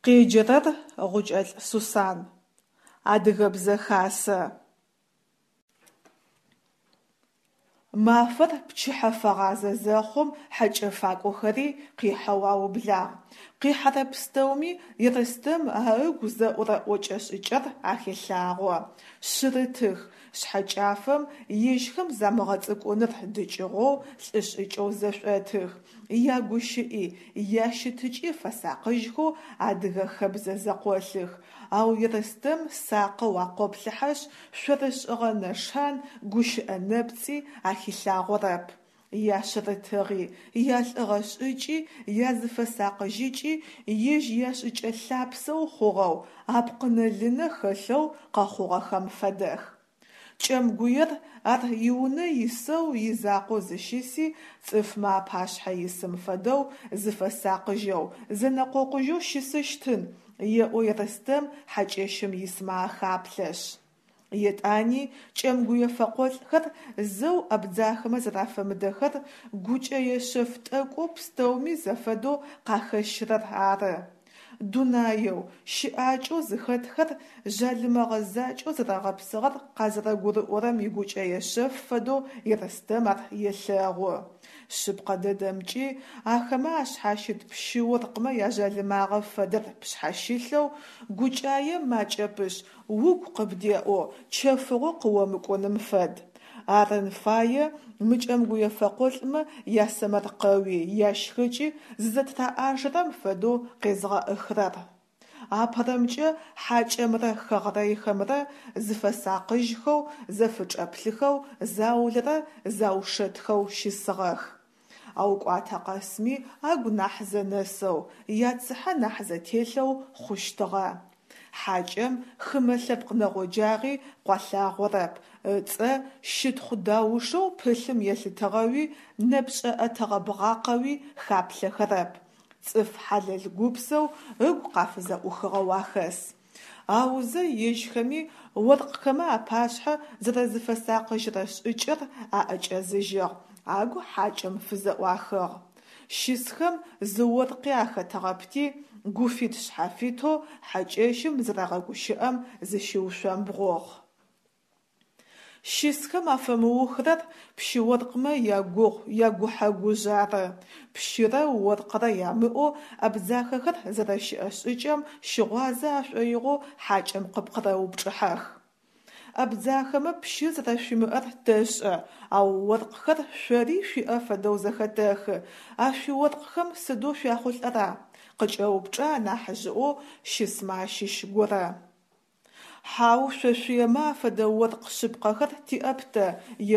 Къеджэрэр Гъукӏэлӏ Сусан. Адыгэбзэ хасэ. Мафэр пчыхьэ фэгъазэ зэхъум хьэкӏэ факӏохэри къихьэу аублагъ. Къихьэрэ пстэуми Ерстэм а ыгу зэӏурэ ӏокӏэ-шӏыкӏэр ахелъагъо. Шъырытых, шъхьэкӏафэм ежьхэм замыгъэцӏыкӏуныр дыкӏыгъоу лӏы шӏыкӏэу зэшӏотых. Ягущыӏи, ящытыкӏи фэсакъыжьхэу адыгэ хэбзэ зэкъолъых. Ау Ерстэм сакъэу акъоплъыхьэшъ, шъорышӏыгъэ нэшан, гущыӏэ нэпцӏи ахилъагъорэп. Яшъырытыгъи, ялӏыгъэ шӏыкӏи, языфэсакъыжьыкӏи ежь яшӏыкӏэ лъапсэу хъугъэу, апкъынэ-лынэ хэлъэу къэхъугъэхэм фэдэх. Кӏэмгуер ар иунэ исэу изакъоу зыщыси цӏыфмэ апашъхьэ исым фэдэу зыфэсакъыжьэу, зэнэкъокъужьэу щысыщтын, еӏо Ерстэм хьакӏэщым исмэ ахаплъэшъ. Етӏани кӏэмгуе фэкъолӏхэр зэу абдзахэмэ зэрафэмыдэхэр гукӏэе шъэф тӏэкӏоу пстэуми зэфэдэу къахэщырэр ары. Дунаеу, щыӏакӏэу зыхэтхэр жъалымэгъэ закӏэу зэрэгъэпсыгъэр къазэрэгурыӏорэм игукӏэе шъэф фэдэу Ерстэм ар елъэгъу. Шъыпкъэ дэдэмкӏи, ахэмэ ашъхьащыт пщы-оркъмэ яжъалымагъэ фэдэр пшъхьащылъэу, гукӏае макӏэпышъ, угу къыбдеӏэу, чэфыгъо къыомыкӏуным фэд. Арын фае мы кӏэмгуе фэкъолӏмэ ясэмэркъэуи, ящхыкӏи зызэтыраӏажэрэм фэдэу къезгъэӏыхрэр. Апэрэмкӏэ хьакӏэмрэ хэгърэйхэмрэ зыфэсакъыжьхэу, зэфычӏэплъыхэу заулэрэ заушэтхэу щысыгъэх. Ау кӏуатэ къэсми агу нахь зэнэсэу, яцыхьэ нахь зэтелъэу хъущтыгъэ. Хьакӏэм хымэ лъэпкъ нэгъоджагъи къуалъагъорэп, ыцӏэ щытхъу даушэу пылъым елъытыгъэуи нэпшӏэ ӏэтыгъэ бгъакъэуи хаплъэхэрэп, цӏыф хьалэл гупсэу ыгу къафызэӏухыгъэу ахэс. Аузэ ежьхэми оркъхэмэ апашъхьэ зэрэзыфэсакъыжьырэ шӏыкӏэр аӏэкӏэзыжьыгъ, агу хьакӏэм фызэӏуахыгъ. Щысхэм зы оркъи ахэтыгъэпти, гуфит-шъхьафитэу хьакӏэщым зэрагъэгущыӏэм зыщиушъомбгъугъ. Щысхэм афэмыухрэр пщы-оркъмэ ягугъу, ягухьэ-гужъ ары. Пщырэ оркърэ ямыӏэу абдзахэхэр зэрэщыӏэ шӏыкӏэм щыгъуазэ ашӏоигъоу хьакӏэм къыпкъырэупчӏыхьэх. Абдзахэмэ пщы зэрэшъуимыӏэр тэшӏэ, ау оркъхэр шъори шъуиӏэ фэдэу зэхэтэхы, а шъуиоркъхэм сыдэу шъуяхъулӏэра? къыкӏэупчӏэ анахьыжъыӏоу щысмэ ащыщ горэ. Хьау, шъо шъуемэ афэдэ оркъ шъыпкъэхэр тиӏэп тэ,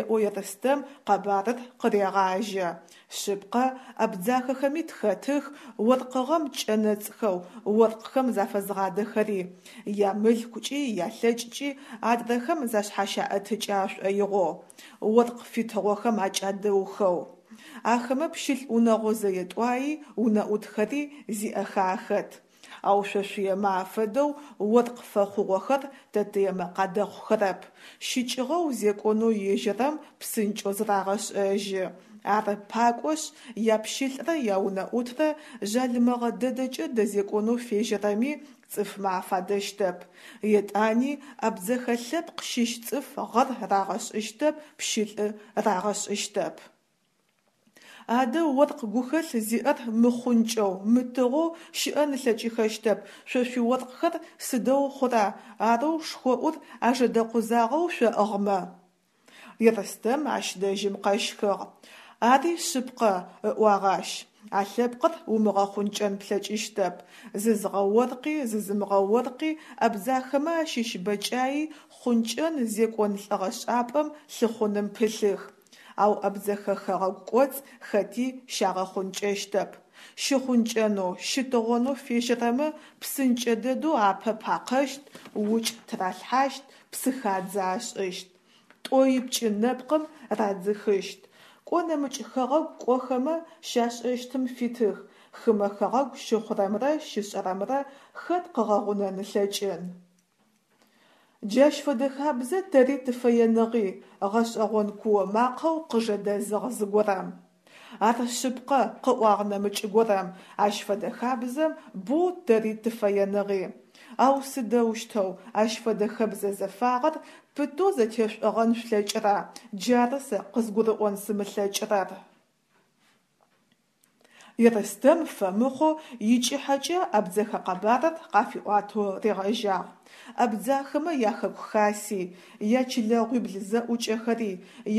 еӏо Ерстэм къэбарыр къырегъажьэ. Шъыпкъэ, абдзахэхэми тхэтых оркъыгъэм кӏэнэцӏхэу оркъхэм зафэзгъадэхэри, ямылъкукӏи ялъэкӏкӏи адрэхэм зашъхьащаӏэтыкӏы ашӏоигъоу, оркъ фитыгъохэм акӏадэухэу. Ахэмэ пщылӏ унэгъо зэе-тӏуаи унэӏутхэри зиӏэхэ ахэт. Ау шъо шъуемэ афэдэу оркъ фэхъугъохэр тэтыемэ къадэхъухэрэп. Щыкӏыгъэу зекӏонэу ежьэрэм псынкӏэу зырагъэшӏэжьы. Ары пакӏошъ, япщылӏрэ яунэӏутрэ жъалымэгъэ дэдэкӏэ дэзекӏонэу фежьэрэми цӏыфмэ афадэщтэп. Етӏани абдзэхэ лъэпкъ щыщ цӏыф гъэр рагъэшӏыщтэп, пщылӏы рагъэшӏыщтэп. Адэ оркъ гухэлъ зиӏэр мыхъункӏэу, мытыгъоу щыӏэн ылъэкӏыхэщтэп, шъо шъуиоркъхэр сыдэу хъура, арэу шхоӏур ажэдэкъузагъэу шъоӏыгъмэ? Ерстэм ащ дэжьым къэщхыгъ. Ари шъыпкъэ, ыӏуагъ ащ. А лъэпкъыр умыгъэхъункӏэн плъэкӏыщтэп. Зызгъэоркъи, зызымыгъэоркъи абдзахэмэ ащыщ бэкӏаи хъункӏэн зекӏон лӏыгъэшӏапӏэм лъыхъуным пылъых. Ау Абдзэхэ хэгъэгу кӏоцӏ хэти щагъэхъункӏэщтэп. Щыхъункӏэнэу, щытыгъонэу фежьэрэмэ псынкӏэ дэдэу апэ пакъэщт, укӏ тыралъхьащт, псыхадзэ ашӏыщт. Тӏоипкӏы нэпкъым радзыхыщт. Кӏо нэмыкӏ хэгъэгу кӏохэмэ щашӏэщтым фитых, хымэ хэгъэгу щыхъурэмрэ щышӏэрэмрэ хэт къыгъэгъунэн ылъэкӏын. Джащ фэдэ хабзэ тэри тыфэеныгъи, гъэшӏэгъон куо макъэу къыжэдэзыгъ зыгорэм. Ар шъыпкъэ, къыӏуагъ нэмыкӏ горэм, ащ фэдэ хабзэм боу тэри тыфэеныгъи. Ау сыдэущтэу ащ фэдэ хэбзэ зэфагъэр пытэу зэтешӏогъэн шъулъэкӏыра, джары сэ къызгурыӏон сымылъэкӏырэр. Ерстэм фэмыхъоу икӏыхьэкӏэ абдзэхэ къэбарыр къафиӏуатэу ригъэжьагъ. Абдзахэмэ яхэку хаси, ячылэгъуибл зэӏукӏэхэри,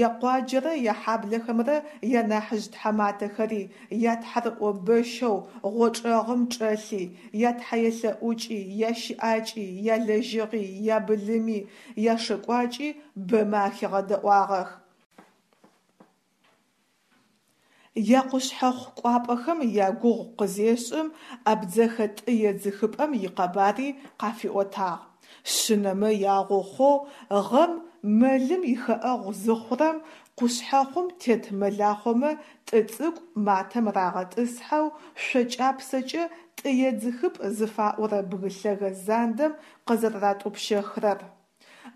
якъуаджэрэ яхьаблэхэмрэ янахьыжъ тхьаматэхэри, ятхьарыӏо бэщэу гъочӏэгъым чӏэлъи, ятхьэелъэӏукӏи, ящыӏакӏи, ялэжьыгъи, ябылыми, яшэкӏуакӏи бэмэ ахигъэдэӏуагъэх. Якъушъхьэхъу кӏуапӏэхэм ягугъу къызешӏым, абдзэхэ тӏы едзыхыпӏэм икъэбари къафиӏотагъ. Шъынэмэ ягъо хъоу гъэм мэлым ихэӏэгъу зыхъурэм, къушъхьэхъум тет мэлахъомэ тӏы цӏыкӏу матэм рагъэтӏысхьэу шъо кӏапсэкӏэ тӏы едзыхыпӏ зыфаӏорэ бгы лъэгэ зандэм къызэрэратӏупщэхрэр.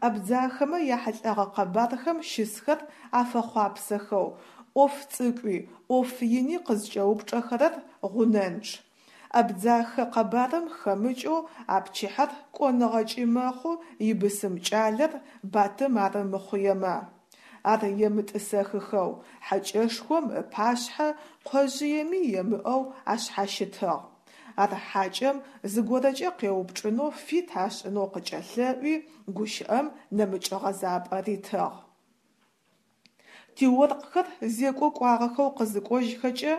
Абдзахэмэ яхьылӏэгъэ къэбархэм щысхэр афэхъуапсэхэу, ӏоф цӏыкӏуи, ӏоф ини къызкӏэупчӏэхэрэр гъунэнчъ. Абдзахэ къэбарым хэмыкӏэу а пчыхьэр кӏоныгъэкӏи мэхъу ибысым кӏалэр Батым ары мыхъуемэ. Ар емытӏысэхыхэу, хьакӏэшхом ыпашъхьэ къожъыеми емыӏэу ашъхьащытыгъ. Ар хьакӏэм зыгорэкӏэ къеупчӏынэу фит ашӏынэу къыкӏэлъэӏуи, гущыӏэм нэмыкӏ гъэзапӏэ ритыгъ. Тиоркъхэр зекӏо кӏуагъэхэу къызыкӏожьхэкӏэ,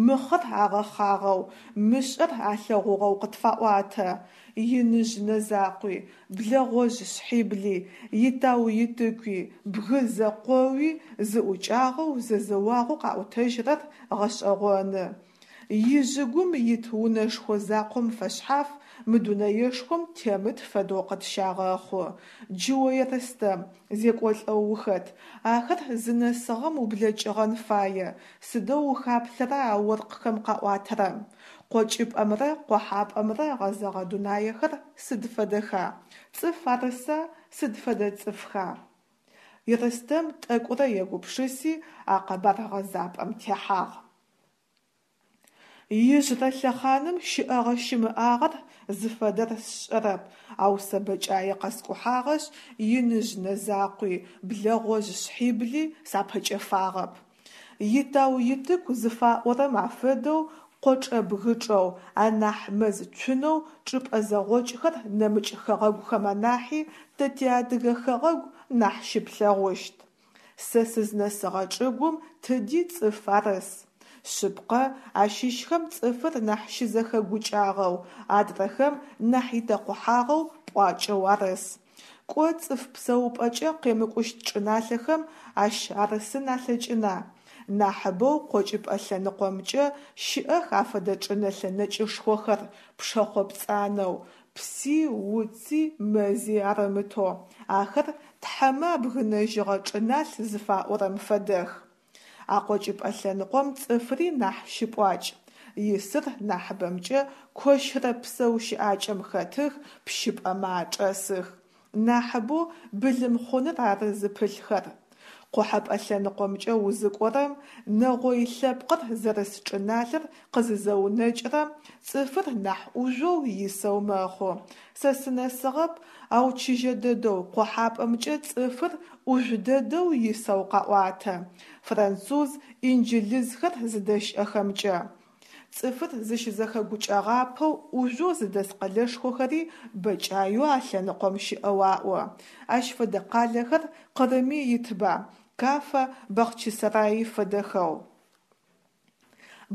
мыхъэр агъэхъагъэу, мышӏэр алъэгъугъэу къытфаӏуатэ. Иныжъ нэ закъуи, блэгъожъ шъхьибли, итау-итыкуи, бгы зэкъоуи зыӏукӏагъэу, зэзэуагъэу къаӏотэжьрэр гъэшӏэгъоны. Ижъыгум ит унэшхо закъом фэшъхьаф мы дунэешхом темыт фэдэу къытщагъэхъу. Джы о Ерстэм, зекӏолӏэу ухэт, ахэр зынэсыгъэм ублэкӏыгъэн фае, сыдэу ухаплъэра а оркъхэм къаӏуатэрэм? Къокӏыпӏэмрэ къохьапӏэмрэ гъэзэгъэ дунаехэр сыд фэдэха? Цӏыф арыса, сыд фэдэ цӏыфха? Ерстэм тӏэкӏурэ егупшыси, а къэбар гъэзапӏэм техьагъ. Ижъырэ лъэхъаным щыӏэгъэ-щымыӏагъэр зыфэдэр сшӏэрэп, ау сэ бэкӏае къэскӏухьагъэшъ, иныжъ нэ закъуи, блэгъожъ шъхьибли сапэкӏэфагъэп. Итау-итыку зыфаӏорэм афэдэу къочӏэ-бгычӏэу, анахь мэз цунэу чӏыпӏэ зэгъокӏхэр нэмыкӏ хэгъэгухэм анахьи тэ тиадыгэ хэгъэгу нахь щыплъэгъущт. Сэ сызнэсыгъэ чӏыгум тыди цӏыф арыс. Шъыпкъэ, ащыщхэм цӏыфыр нахь щызэхэгукӏагъэу, адрэхэм нахь итэкъухьагъэу пӏуакӏэу арыс. Кӏо цӏыф псэупӏэкӏэ къемыкӏущт чӏыналъэхэм ащ арысын алъэкӏына? Нахьыбэу къокӏыпӏэ лъэныкъомкӏэ щыӏэх афэдэ чӏынэлъэ нэкӏышхохэр, пшэхъо пцӏанэу, пси, уци, мэзи арымытэу, ахэр тхьэмэ абгынэжьыгъэ чӏыналъ зыфаӏорэм фэдэх. А къокӏыпӏэ лъэныкъом цӏыфри нахь щыпӏуакӏ. Исыр нахьыбэмкӏэ кощырэ псэу щыӏакӏэм хэтых, пщыпӏэмэ ачӏэсых. Нахьыбэу былымхъуныр ары зыпылъхэр. Къохьэпӏэ лъэныкъомкӏэ узыкӏорэм, нэгъой лъэпкъыр зэрыс чӏыналъэр къызызэунэкӏырэм, цӏыфыр нахь ӏужъоу исэу мэхъу. Сэ сынэсыгъэп, ау чыжьэ дэдэу къохьапӏэмкӏэ цӏыфыр ӏужъу дэдэу исэу къаӏуатэ, француз, инджылызхэр зыдэщыӏэхэмкӏэ. Цӏыфыр зыщызэхэгукӏэгъапэу ӏужъоу зыдэс къэлэшхохэри бэкӏаеу а лъэныкъом щыӏэу аӏо. Ащ фэдэ къалэхэр Къырыми итба, Кафа, Бахъчысэраи фэдэхэу.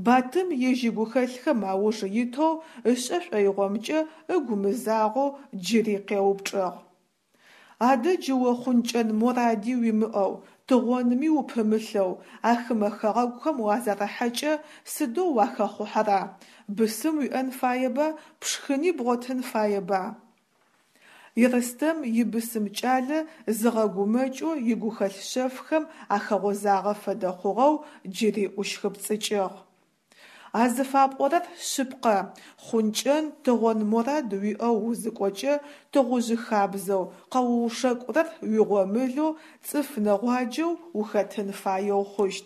Батым ежь игухэлъхэм ауж итэу ышӏэ шӏоигъомкӏэ ыгу мызагъэу джыри къеупчӏыгъ. Адэ джы о хъункӏэн моради уимыӏэу, тыгъонми упымылъэу а хымэ хэгъэгухэм уазэрыхьэкӏэ сыдэу уахэхъухьэра? Бысым уиӏэн фаеба, пшхыни бгъотын фаеба? Ерстэм ибысым кӏалэ зыгъэгумэкӏэу игухэлъ шъэфхэм ахэгъозагъэ фэдэ хъугъэу джыри ӏущхыпцӏыкӏыгъ. А зыфапӏорэр шъыпкъэ, хъункӏэн, тыгъон морад уиӏэу узыкӏокӏэ, тыгъужъы хабзэу, къэуушэкӏурэр уигъомылэу, цӏыф нэгъуаджэу ухэтын фаеу хъущт.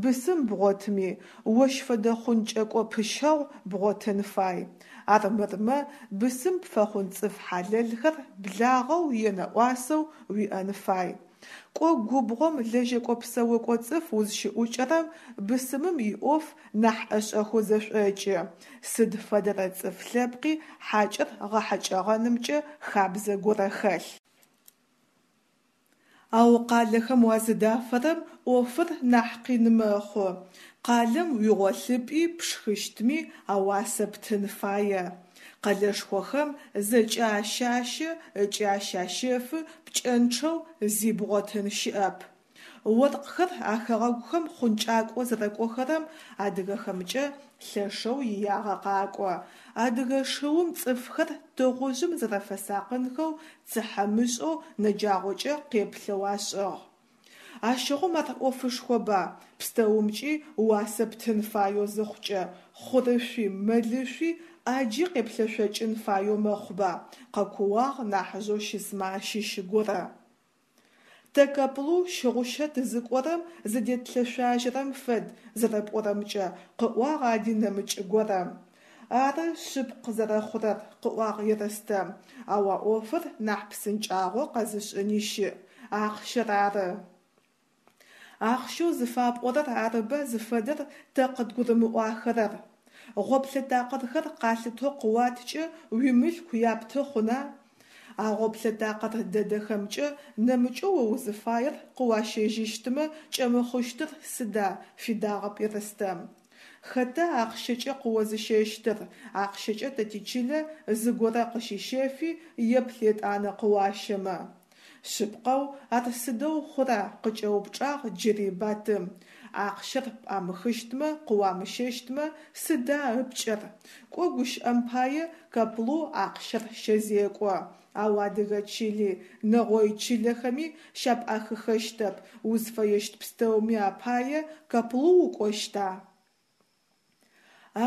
Бысым бгъотыми, ощ фэдэ хъункӏэкӏо пыщэгъу бгъотын фай. Армырмэ, бысым пфэхъун цӏыф хьалэлхэр благъэу е нэӏуасэу уиӏэн фай. Кӏо губгъом лэжьэкӏо-псэокӏо цӏыф узщыӏукӏэрэм бысымым иӏоф нахь ӏэшӏэхэу зэшӏокӏы. Сыд фэдэрэ цӏыф лъэпкъи хьакӏэр гъэхьэкӏэгъэнымкӏэ хабзэ горэ хэлъ. Ау къалэхэм уазыдафэрэм ӏофыр нахь къин мэхъу. Къалэм уигъолъыпӏи пшхыщтми ауасэ птын фае. Къэлэшхохэм зэкӏэ ащащэ ыкӏи ащащэфы пкӏэнчъэу зи бгъотын щыӏэп. Оркъхэр а хэгъэгухэм хъункӏакӏо зэрэкӏохэрэм адыгэхэмкӏэ лъэшэу иягъэ къакӏо. Адыгэ шыум цӏыфхэр тыгъужъым зэрэфэсакъынхэу цыхьэмышӏэу нэджагъокӏэ къеплъэу ашӏыгъ. Ащыгъум ар ӏофышхоба, пстэумкӏи уасэ птын фаеу зыхъукӏэ, хъурышъуи, мэлышъуи ӏаджи къеплъэшъокӏын фаеу мэхъуба, къэкууагъ нахьыжъэу щысмэ ащыщ горэ. Тэ Каплу щыгъущэ тызыкӏорэм зыдетлъэшъуажьэрэм фэд зэрэпӏорэмкӏэ, къыӏуагъ ади нэмыкӏ горэм. Ары шъыпкъ зэрэхъурэр, къыӏуагъ Ерстэм, ау а ӏофыр нахь псынкӏагъо къэзышӏыни щыӏ, ахъщэр ары. Ахъщэу зыфапӏорэр арыба зыфэдэр тэ къыдгурымыӏуахэрэр. Гъоплъэ такъырхэр къалъытэу къыуаткӏэ уимылъку япты хъуна? А гъоплъэ такъыр дэдэхэмкӏэ нэмыкӏэу о узыфаер къыуащэжьыщтмэ кӏэмыхъущтыр сыда, фидагъэп Ерстэм. Хэта ахъщэкӏэ къыозыщэщтыр, ахъщэкӏэ тэ тичылэ зыгорэ къыщыщэфи еплъ етӏанэ къыуащэмэ. Шъыпкъэу, ар сыдэу хъура, къыкӏэупчӏагъ джыри Батым. Ахъщэр пӏамыхыщтмэ, къыуамыщэщтмэ, сыда ыпкӏэр? Кӏо гущыӏэм пае Каплу ахъщэр щэзекӏо. Ау адыгэ чыли, нэгъой чылэхэми щапӏахыхэщтэп, узфэещт пстэуми апае Каплу укӏощта?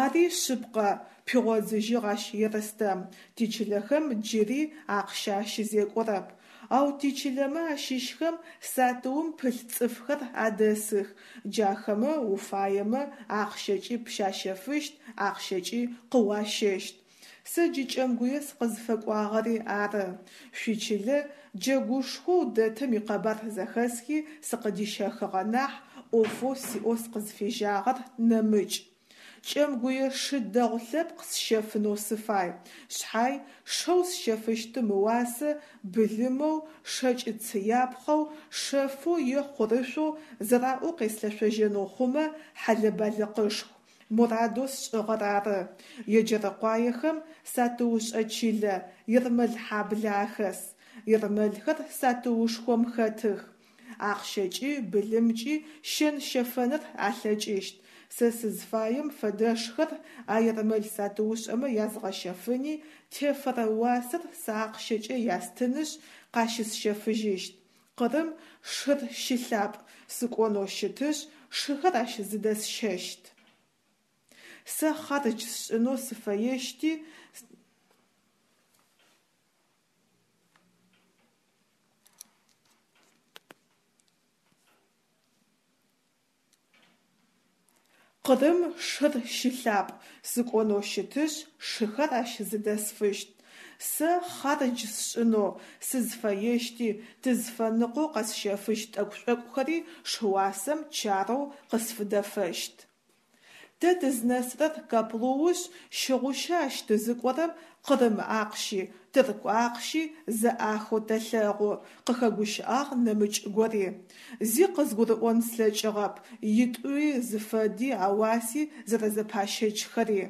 Ари шъыпкъэ, пигъодзыжьыгъ ащ Ерстэм, тичылэхэм джыри ахъщэ ащызекӏорэп. Ау тичылэмэ ащыщхэм сатыум пылъ цӏыфхэр адэсых, джахэмэ уфаемэ ахъщэкӏи пщащэфыщт, ахъщэкӏи къыуащэщт. Сэ джы Кӏэмгуе сыкъызфэкӏуагъэри ары. Шъуичылэ джэгушхоу дэтым икъэбар зэхэсхи сыкъыдищэхыгъэ нахь, ӏофэу сиӏэу сыкъызфежьагъэр нэмыкӏ. Кӏэмгуе шы дэгъу лъэпкъ сщэфынэу сыфай, шъхьай, шэу сщэфыщтым ыуасэ былымэу, шэкӏ цыяпхъэу, шэфэу е хъурышъоу зэраӏоу къеслъэшъожьэнэу хъумэ, хьэлэ-балыкъышху. Мурадэу сшӏыгъэр ары. Еджэрыкъуаехэм сатыушӏэ чылэ Ермэлхьаблэ ахэс. Ермэлхэр сатыушхом хэтых. Ахъщэкӏи, былымкӏи щэн-щэфэныр алъэкӏыщт. Сэ сызфаем фэдэшхэр а ермэл сатыушӏэмэ язгъэщэфыни, тефэрэ уасэр сэ ахъщэкӏэ ястынышъ, къащысщэфыжьыщт. Къырым шыр щылъапӏ, сыкӏонэу щытышъ, шыхэр ащ зыдэсщэщт. Сэ хъардж сшӏынэу сыфэещти, Къырым шыр щылъапӏ, сыкӏонэу щытышъ, шыхэр ащ зыдэсфыщт. Сэ хъардж сшӏынэу сызфэещти, тызфэныкъоу къэсщэфыщт тӏэкӏу-шӏокӏухэри шыуасэм чарэу къысфыдэфэщт. Тэ тызнэсырэр Каплуушъ, щыгъущэ ащ тызыкӏорэм къырым ахъщи, тырку ахъщи зэӏахэу тэлъэгъу, къыхэгущыӏагъ нэмыкӏ гори. Зи къызгурыӏон слъэкӏыгъэп, итӏуи зыфэди ауаси зэрэзэпащэчхэри.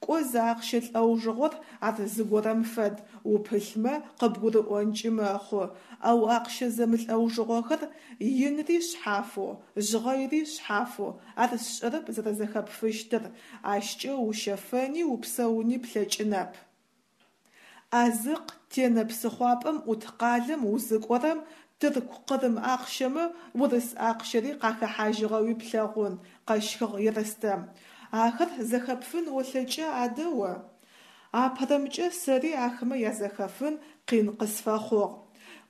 Кӏо зы ахъщэ лӏэужыгъор ар зыгорэм фэд, упылъмэ къыбгурыӏонкӏи мэхъу, ау ахъщэ зэмылӏэужыгъохэр инри шъхьафэу, жъгъэйри шъхьафэу, ар сшӏэрэп зэрэзэхэпфыщтыр, ащкӏэ ущэфэни упсэуни плъэкӏынэп. Азыкъ Тенэ псыхъуапӏэм ӏут къалэм узыкӏорэм тырку къырым ахъщэмэ урыс ахъщэри къахэхьажьыгъэуи плъэгъун, къэщхыгъ Ерстэм. Ахэр зэхэпфын олъэкӏа адэ о? Апэрэмкӏэ сэри ахэмэ язэхэфын къин къысфэхъугъ.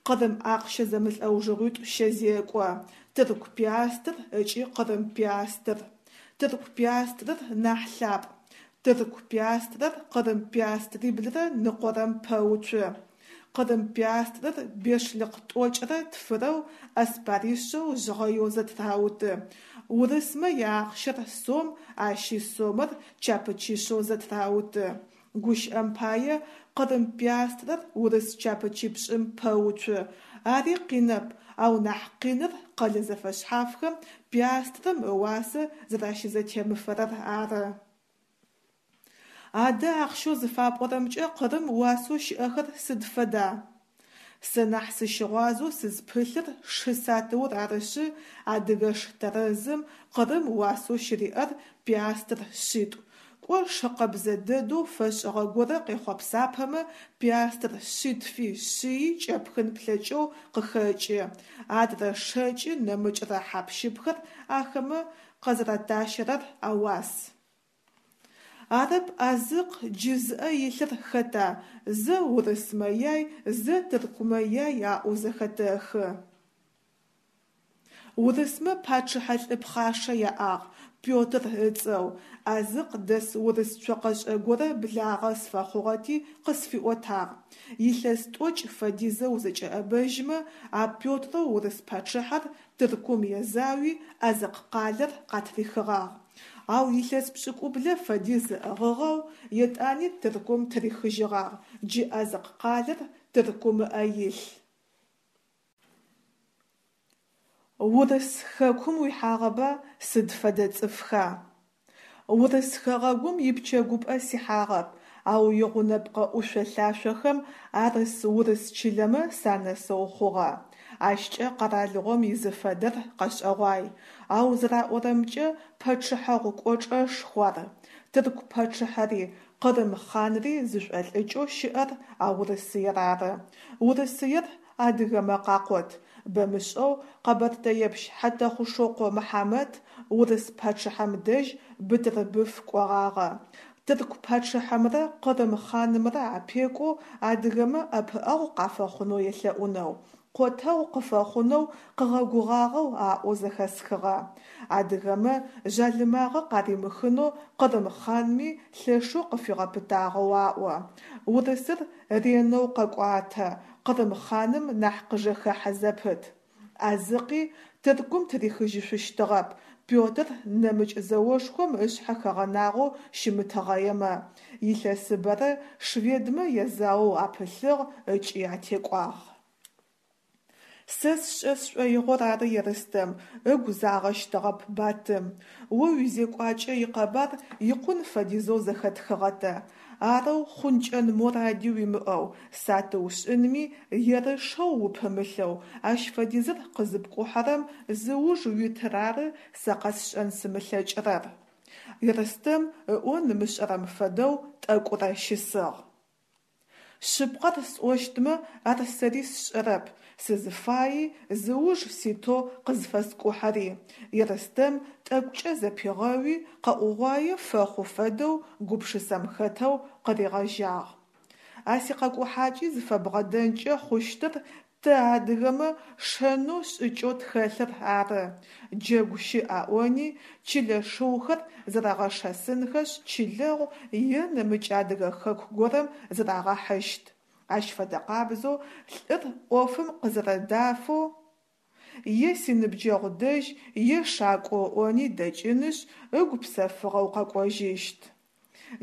Къырым ахъщэ зэмылӏэужыгъуитӏу щэзекӏо. Тырку пиастр ыкӏи къырым пиастр. Тырку пиастрыр нахь лъапӏ. Тырку пиастрэр къырым пиастриблрэ ныкъорэм пэуцу. Къырым пиастрэр бешлыкъ тӏокӏрэ тфырэу аспаришъэу жъгъэеу зэтырауты. Урысмэ яахъщэр сом, ащи сомэр чапычишъэу зэтырауты. Гущыӏэм пае, къырым пиастрэр урыс чапычипшӏым пэуцу. Ари къинэп, ау нахь къиныр къэлэ зэфэшъхьафхэм пиастрэм ыуасэ зэращызэтемыфэрэр ары. Адэ ахъщэу зыфапӏорэмкӏэ Къырым уасэу щыӏэхэр сыд фэда? Сэ нахь сыщыгъуазэу сызпылъыр шы сатыур арышъы, адыгэш тэрэзым Къырым уасэу щыриӏэр пиастр шъитӏу, кӏо шы къэбзэ дэдэу фэшӏыгъэ горэ къехъопсапэмэ, пиастр шъитфи шъыи кӏэпхын плъэкӏэу къыхэкӏы, адрэ шэкӏы нэмыкӏрэ хьап-щыпхэр ахэмэ къэзэрэтащэрэр ауас. Арэп Азыкъ джы зыӏэ илъыр хэта, зэ урысмэ яй, зэ тыркумэ яй аӏоу зэхэтэхы. Урысмэ пачъыхьэ лӏы пхъашэ яӏагъ, Петр ыцӏэу, Азыкъ дэс урыс цокъэшӏэ горэ благъэ сфэхъугъэти къысфиӏотагъ. Илъэс тӏокӏ фэдизэ узэкӏэӏэбэжьмэ, а Петрэу урыс пачъыхьэр Тыркум езауи, Азыкъ къалэр къатрихыгъагъ. Ау илъэс пшӏыкӏублэ фэдиз ыӏыгъыгъэу, етӏани Тыркум тырихыжьыгъагъ, джы Азыкъ къалэр Тыркум ыӏэ илъ. Урыс хэкум уихьагъэба, сыд фэдэ цӏыфха? Урыс хэгъэгум ипчэгупӏэ сихьагъэп, ау игъунэпкъэ ӏушъо-лъашъохэм арыс урыс чылэмэ санэсэу хъугъэ. Ащкӏэ къэралыгъом изыфэдэр къэшӏэгъуай. Ау зэраӏорэмкӏэ, пачъыхьэгъу кӏочӏэшху ар. Тырку пачъыхьэри, Къырым хъанри зышӏолӏыкӏэу щыӏэр а Урысыер ары. Урысыер адыгэмэ къакъот. Бэмышӏэу къэбэртэепщ Хьэтэхъушокъо Мыхьамэт урыс пачъыхьэм дэжь Бытырбыф кӏогъагъэ. Тырку пачъыхьэмрэ Къырым хъанымрэ апекӏоу адыгэмэ ӏэпыӏэгъу къафэхъунэу елъэӏунэу, къотэгъу къыфэхъунэу къыгъэгугъагъэу аӏоу зэхэсхыгъэ. Адыгэмэ жъалымагъэ къаримыхынэу Къырым хъанми лъэшэу къыфигъэпытагъэу аӏо. Урысыр ренэу къэкӏуатэ, Къырым хъаным нахь къыжэхэхьэ зэпыт. Азыкъи Тыркум тырихыжьышъущтыгъэп, Петр нэмыкӏ зэошхом ышъхьэ хэгъэнагъэу щымытыгъэемэ. Илъэсыбэрэ шведмэ язаоу апылъыгъ ыкӏи атекӏуагъ. Сэ сшӏэ сшӏоигъор ары Ерстэм, ыгу загъэщтыгъэп Батым. О уизекӏуакӏэ икъэбар икъун фэдизэу зэхэтхыгъэ тэ. Арэу хъункӏэн моради уимыӏэу, сатыу шӏынми ерышэу упымылъэу ащ фэдизыр къызыпкӏухьэрэм зыуж уитыр ары сэ къэсшӏэн сымылъэкӏырэр. Ерстэм ыӏон ымышӏэрэм фэдэу тӏэкӏурэ щысыгъ. Шъыпкъэр сӏощтмэ, ар сэри сшӏэрэп, сызыфаи, зыуж ситэу къызфэскӏухьэри, Ерстэм тӏэкӏукӏэ зэпигъэуи, къэӏугъуае фэхъу фэдэу гупшысэм хэтэу къыригъэжьагъ. А сикъэкӏухьакӏи зыфэбгъэдэнкӏэ хъущтыр тэ, адыгэмэ, шэнэу шӏыкӏэу тхэлъыр ары, джэгу щыӏ аӏони, чылэ шыухэр зэрэгъэшэсынхэшъ чылэгъу е нэмыкӏ адыгэ хэку горэм зырагъэхьыщт. Ащ фэдэкъабзэу лӏыр ӏофым къызэрэдафэу е синыбджэгъу дэжь, е шакӏо ыӏони дэкӏынышъ, ыгу псэфыгъэу къэкӏожьыщт.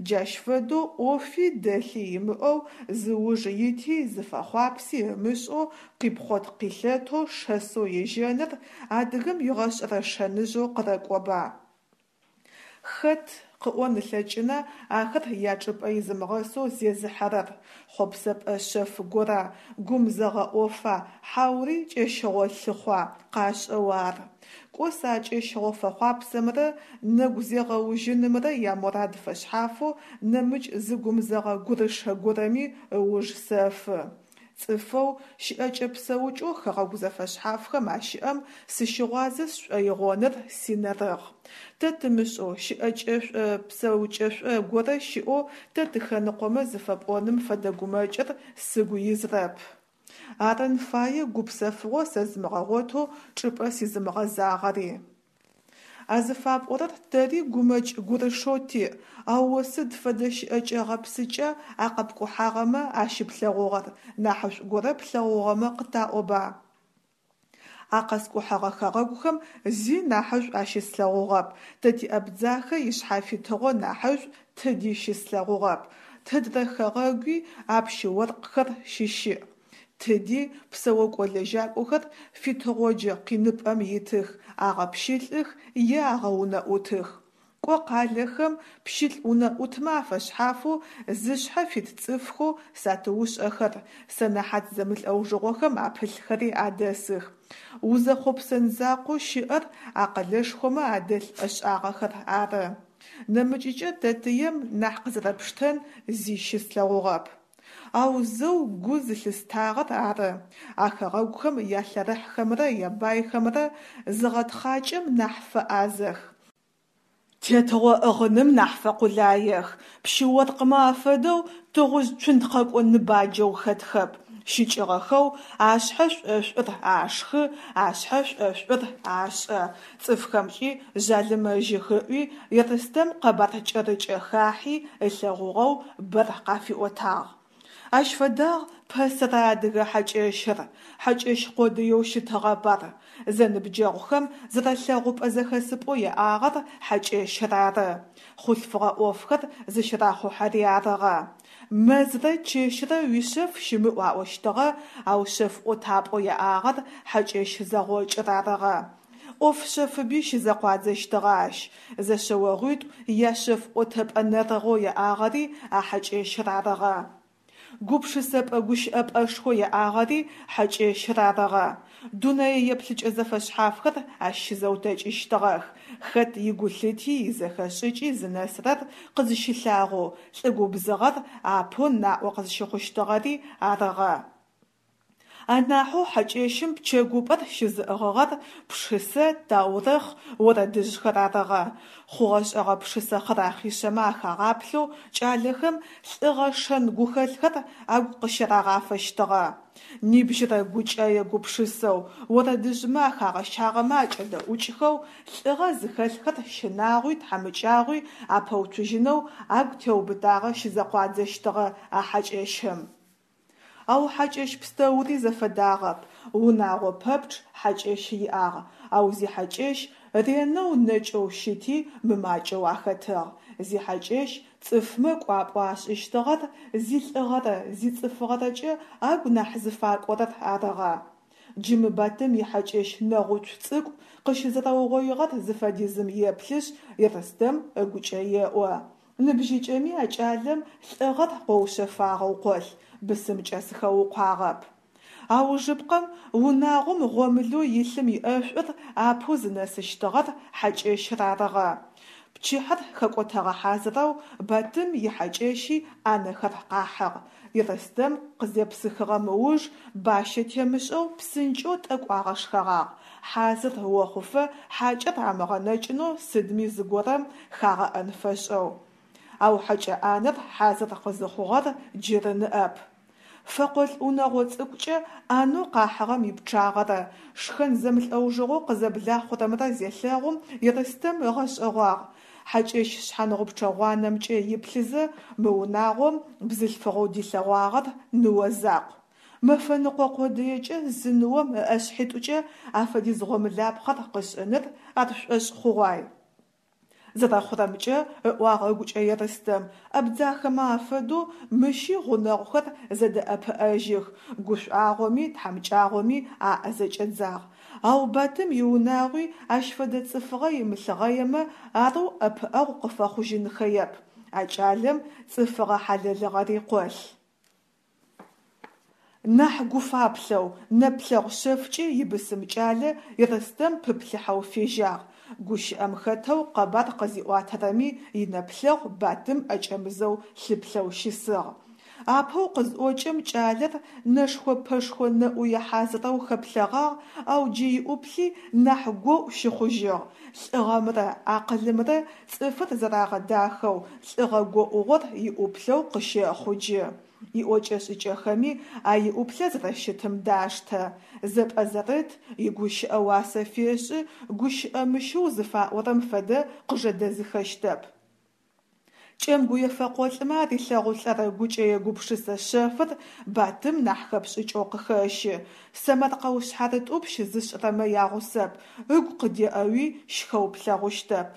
Джащ фэдэу ӏофи дэлъи имыӏэу, зыуж ити зыфэхъуапси ымышӏэу къипхъот-къилъэтэу шэсэу ежьэныр адыгэм игъэшӏэрэ шэныжъэу къырэкӏоба. Хэт къыӏон ылъэкӏына ахэр ячӏыпӏэ изымыгъэсэу зезыхьэрэр, хъопсэпӏэ шъэф гора, гумзэгъэ ӏофа, хьаури кӏэщыгъо лъыхъуа къашӏэу ар. Кӏо сэ а кӏэщыгъо фэхъуапсэмрэ нэгу зегъэужьынымрэ ямурад фэшъхьафэу нэмыкӏ зы гумзэгъэ гурышэ горэми ыуж сэфы. Цӏыфэу, щыӏэкӏэ-псэукӏэу хэгъэгу зэфэшъхьафхэм ащыӏэм сыщыгъуазэ сшӏоигъоныр синэрыгъ. Тэ тымышӏэу, щыӏэкӏэшӏо-псэукӏэшӏо горэ щыӏэу тэ тыхэныкъомэ зыфэпӏоным фэдэ гумэкӏыр сыгу изрэп. Арын фае гупсэфыгъо сэзымыгъэгъотэу чӏыпӏэ сизымыгъэзагъэри. А зыфапӏорэр тэри гумэкӏ-гурышэу тиӏ, ау о сыд фэдэ щыӏэкӏэ-гъэпсыкӏа а къэпкӏухьагъэмэ ащыплъэгъугъэр, нахьышӏу горэ плъэгъугъэмэ къытаӏоба? А къэскӏухьэгъэ хэгъэгухэм зи нахьышӏу ащыслъэгъугъэп, тэ ти Абдзахэ ишъхьафитыгъо нахьышӏу тыди щыслъэгъугъэп, тыдрэ хэгъэгуи а пщы-оркъхэр щыщыӏ. Тыди псэокӏо-лэжьакӏохэр фитыгъоджэ къиныпӏэм итых, агъэпщылӏых е агъэунэӏутых. Кӏо къалэхэм пщылӏ унэӏутмэ афэшъхьафэу зышъхьэ фит цӏыфхэу сатыушӏэхэр, сэнэхьат зэмылӏэужыгъохэм апылъхэри адэсых. Узэхъопсэн закъоу щыӏэр а къэлэшхомэ адэлъ ӏэшӏагъэхэр ары. Нэмыкӏыкӏэ тэтыем нахь къызэрэпштэн зи щыслъэгъугъэп. Ау зэу гу зылъыстагъэр ары, а хэгъэгухэм ялъэрыхьхэмрэ ябайхэмрэ зыгъэтхъакӏэм нахь фэӏазэх, тетыгъо ӏыгъыным нахь фэкъулаех, пщы-оркъмэ афэдэу тыгъужъ цунтхъэкӏо ныбаджэу хэтхэп, щыкӏыгъэхэу ашъхьэ шӏошӏур ашхы, ашъхьэ шӏошӏур ашӏэ, цӏыфхэмкӏи жъалымэжьых ыӏуи, Ерстэм къэбар кӏэрыкӏэ хахьи ылъэгъугъэу бэр къафиӏотагъ. Ащ фэдагъ пэсэрэ адыгэ хьакӏэщыр. Хьакӏэщ къодыеу щытыгъэп ар. Зэныбджэгъухэм зэрэлъэгъупӏэ-зэхэсыпӏэу яӏагъэр хьакӏэщыр ары. Хъулъфыгъэ ӏофхэр зыщырахъухьэри арыгъэ. Мэзрэ чэщрэ уишъэф щымыӏу аӏощтыгъэ, ау шъэф ӏотапӏэу яӏагъэр хьакӏэщ зэгъокӏыр арыгъэ. ӏоф шъэфыби щызэкъуадзэщтыгъэ ащ. Зэшъэогъуитӏу яшъэф ӏотэпӏэ нэрыгъэу яӏагъэри а хьакӏэщыр арыгъэ. Гупшысэпӏэ-гущыӏэпӏэшхо яӏагъэри хьакӏэщыр арыгъэ. Дунэе еплъыкӏэ зэфэшъхьафхэр ащ щызэутэкӏыщтыгъэх. Хэт игулъыти изэхэшӏыкӏи зынэсырэр къызыщылъагъоу, лӏы губзыгъэр апэу наӏо къызщыхъущтыгъэри арыгъэ. Анахьэу хьакӏэщым пчэгупӏэр щызыӏыгъыгъэр пшысэ, таурыхъ, орэдыжъхэр арыгъэ. Хъугъэ-шӏэгъэ пшысэ хъырахъишъэмэ ахагъаплъэу кӏалэхэм лӏыгъэ шэн гухэлъхэр агу къыщарагъафэщтыгъэ. Нибжьырэ гукӏэе гупшысэу, орэдыжъмэ ахагъэщагъэмэ акӏэдэӏукӏхэу, лӏыгъэ зыхэлъхэр щынагъуи тхьамыкӏагъуи апэуцужьынэу агу теубытагъэ щызэкъуадзэщтыгъэ а хьакӏэщым. Ау хьакӏэщ пстэури зэфэдагъэп, унагъо пэпчъ хьакӏэщ иӏагъ, ау зихьакӏэщ ренэу нэкӏэу щыти мымакӏэу ахэтыгъ. Зихьакӏэщ цӏыфмэ кӏуапӏэу ашӏыщтыгъэр зилӏыгъэрэ зицӏыфыгъэрэкӏэ агу нахь зыфакӏорэр арыгъэ. Джы мы Батым ихьакӏэщ нэгъуцу цӏыкӏу къыщызэрэугъоигъэр зыфэдизым еплъышъ, Ерстэм ыгукӏэ еӏо. Ныбжьыкӏэми а кӏалэм лӏыгъэр къоушъэфагъэу къолъ, бысымкӏэ сыхэукъуагъэп. Аужыпкъэм унагъом гъомылэу илъым иӏэшӏур апэу зынэсыщтыгъэр хьакӏэщыр арыгъэ. Пчыхьэр хэкӏотэгъэ хьазырэу Батым ихьакӏэщи ӏанэхэр къахьыгъ. Ерстэм къызепсыхыгъэм ыуж бащэ темышӏэу псынкӏэу тӏэкӏу агъэшхэгъагъ, хьазыр охъуфэ хьакӏэр амыгъэнэкӏынэу сыдми зыгорэм хагъэӏэн фэшӏэу. Ау хьэкӏэ ӏанэр хьазыр къызыхъугъэр джыры ныӏэп. Фэкъолӏ унэгъо цӏыкӏукӏэ ӏанэу къахьыгъэм ипчъагъэрэ шхэн зэмылӏэужыгъоу къызэблахъурэмрэ зелъэгъум Ерстэм ыгъэшӏэгъуагъ, хьакӏэщ шъхьангъупчъэ гъуанэмкӏэ иплъызэ, мы унагъом бзылъфыгъэу дилъэгъуагъэр ныо закъу. Мэфэныкъо къодыекӏэ зы ныом ыӏэшъхьитӏукӏэ афэдиз гъомылапхъэр къышӏыныр ар шӏошъ хъугъуай. Зэрэхъурэмкӏэ, ыӏуагъ ыгукӏэ Ерстэм, абдзахэмэ афэдэу мыщи гъунэгъухэр зэдэӏэпыӏэжьых, гушӏуагъоми тхьамыкӏагъоми аӏэ зэкӏэдзагъ. Ау Батым иунагъуи ащ фэдэ цӏыфыгъэ имылъыгъэемэ, арэу ӏэпыӏэгъу къыфэхъужьынхэеп. А кӏалэм цӏыфыгъэ хьалэлыгъэри къолъ. Нахь гуфаплъэу, нэплъэгъу шъэфкӏи ибысым кӏалэ Ерстэм пыплъыхьэу фежьагъ. Гущыӏэм хэтэу къэбар къызиӏуатэрэми инэплъэгъу Батым ӏэкӏэмызэу лъыплъэу щысыгъ. Апэу къызӏокӏэм кӏалэр нэшхо-пэшхо нэӏуе хьазырэу хэплъэгъагъ, ау джы иӏуплъи нахь гоӏу щыхъужьыгъ, лӏыгъэмрэ акъылымрэ цӏыфыр зэрагъэдахэу лӏыгъэ гоӏугъор иӏуплъэу къыщэхъу джы. Иӏокӏэ-шӏыкӏэхэми а иӏуплъэ зэрэщытым даштэ. Зэпӏэзэрыт, игущыӏэ уасэ фешӏы, гущыӏэ мыщыу зыфаӏорэм фэдэ къыжэдэзыхэщтэп. Кӏэмгуе фэкъолӏмэ арилъэгъулӏэрэ гукӏэе-гупшысэ шъэфыр Батым нахь хэпшӏыкӏэу къыхэщы, сэмэркъэу шъхьарытӏупщ зышӏырэмэ ягъусэп, ыгу къыдеӏэуи щхэу плъэгъущтэп,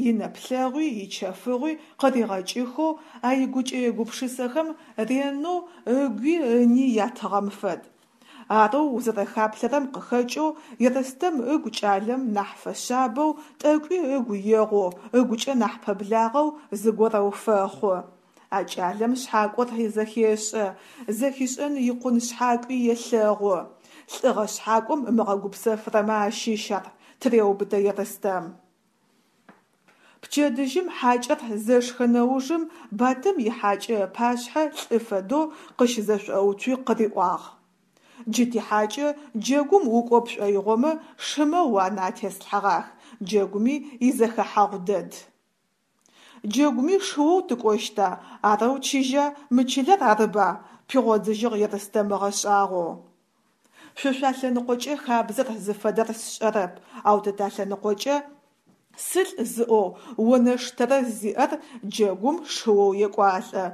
инэплъэгъуи ичэфыгъуи къыригъэкӏыхэу а игукӏэе-гупшысэхэм ренэу ыгуи ыни ятыгъэм фэд. Арэу узэрэхаплъэрэм къыхэкӏэу Ерстэм ыгу кӏалэм нахь фэшъабэу, тӏэкӏуи ыгу егъоу, ыгукӏэ нахь пэблагъэу зыгорэу фэхъу. А кӏалэм шъхьакӏор зэхешӏэ, зэхишӏэн икъун шъхьакӏуи елъэгъу. Лӏыгъэ шъхьакӏом ымыгъэгупсэфырэмэ ащыщ ар, тыреубытэ Ерстэм. Пчэдыжьым хьакӏэр зэшхэ нэужым Батым ихьакӏэ ыпашъхьэ лӏы фэдэу къыщызэшӏоуцуи къыриӏуагъ. Джы тихьакӏэ джэгум укӏо пшӏоигъомэ шымэ уанэ атеслъхьэгъах, джэгуми изэхэхьагъу дэд. Джэгуми шыоу тыкӏощта, арэу чыжьа, мы чылэр арыба? пигъодзыжьыгъ Ерстэм ыгъэшӏагъоу. Шъо шъуалъэныкъокӏэ хабзэр зыфэдэр сшӏэрэп, ау тэ талъэныкъокӏэ сылӏ зыӏоу онэш тэрэз зиӏэр джэгум шыоу екӏуалӏэ.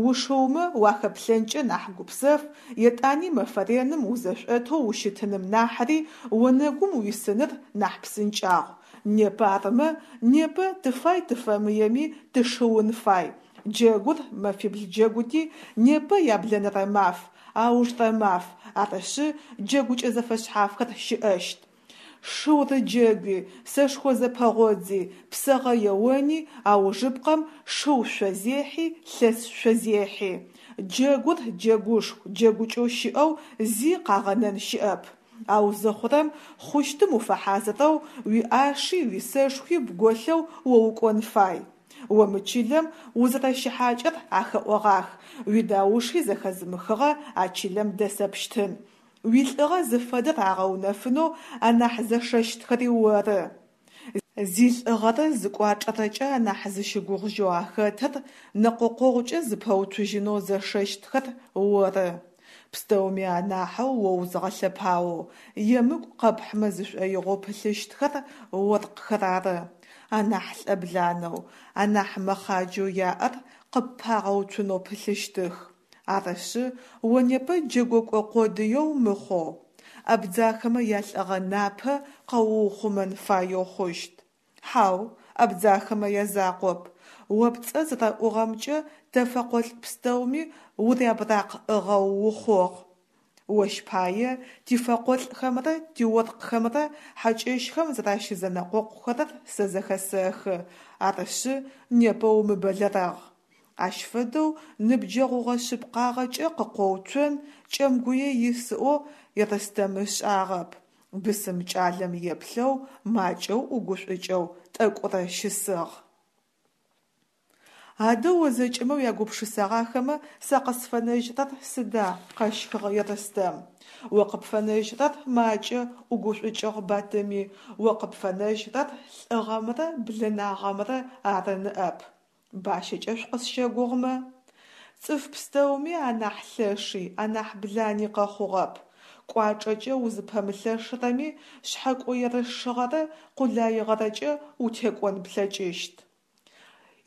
Ушыумэ уахэплъэнкӏэ нахь гупсэф, етӏани мэфэ реным узэшӏотэу ущытыным нахьри онэгум уисыныр нахь псынкӏагъу. Непэ армэ, непэ тыфай-тыфэмыеми тышыун фай. Джэгур мэфибл джэгути, непэ яблэнэрэ маф, аужрэ маф, арышъы, джэгукӏэ зэфэшъхьафхэр щыӏэщт. Шыурыджэгуи, сэшхо зэпэгъодзи, псэгъэ еони, аужыпкъэм шыу шъозехьи, лъэс шъозехьи. Джэгур джэгушху, джэгукӏэу щыӏэу зи къагъэнэн щыӏэп. Ау зыхъурэм, хъущтым уфэхьазырэу, уиӏаши уисэшхуи бголъэу о укӏон фай. О мы чылэм узэрэщыхьакӏэр ахэӏогъах, уидауши зэхэзымыхыгъэ а чылэм дэсэпщтын. Уилӏыгъэ зыфэдэр агъэунэфынэу анахь зэшэщтхэри оры. Зилӏыгъэрэ зыкӏуачӏэрэкӏэ анахь зыщыгугъыжьэу ахэтыр нэкъокъогъукӏэ зыпэуцужьынэу зэшэщтхэр оры. Пстэуми анахьэу о узыгъэлъэпаоу, емыкӏу къэпхьымэ зышӏоигъоу пылъыщтхэр оркъхэр ары. Анахь лӏэбланэу, анахь мэхъаджэу яӏэр къыппагъэуцунэу пылъыщтых. Арышъы, о непэ джэгокӏо къодыеу мыхъоу, абдзахэмэ ялӏыгъэ напэ къэуухъумэн фаеу хъущт. Хьау, абдзахэмэ язакъоп, о пцӏэ зэрэӏугъэмкӏэ тэ фэкъолӏ пстэуми урябыракъ ӏыгъэу ухъугъ. Ощ пае тифэкъолӏхэмрэ тиоркъхэмрэ хьакӏэщхэм зэращызэнэкъокъухэрэр сэ зэхэсэхы, арышъы, непэ умыбэлэрэгъ. Ащ фэдэу ныбджэгъугъэ шъыпкъагъэкӏэ къыкъоуцон Кӏэмгуе ис ӏоу Ерстэм ышӏагъэп. Бысым кӏалэм еплъэу, макӏэу ӏугушӏукӏэу тӏэкӏурэ щысыгъ. Адэ о зэкӏэмэ уягупшысэгъахэмэ, сэ къысфэнэжьрэр сыда? къэщхыгъ Ерстэм. О къыпфэнэжьрэр макӏэ, ӏугушӏукӏыгъ Батыми, о къыпфэнэжьрэр лӏыгъэмрэ блэнагъэмрэ ары ныӏэп. Бащэкӏэ шъукъысщэгугъмэ? Цӏыф пстэуми анахь лъэши, анахь блани къэхъугъэп. Кӏуачӏэкӏэ узыпэмылъэшырэми шъхьэкӏо-ерышыгъэрэ къулаигъэрэкӏэ утекӏон плъэкӏыщт.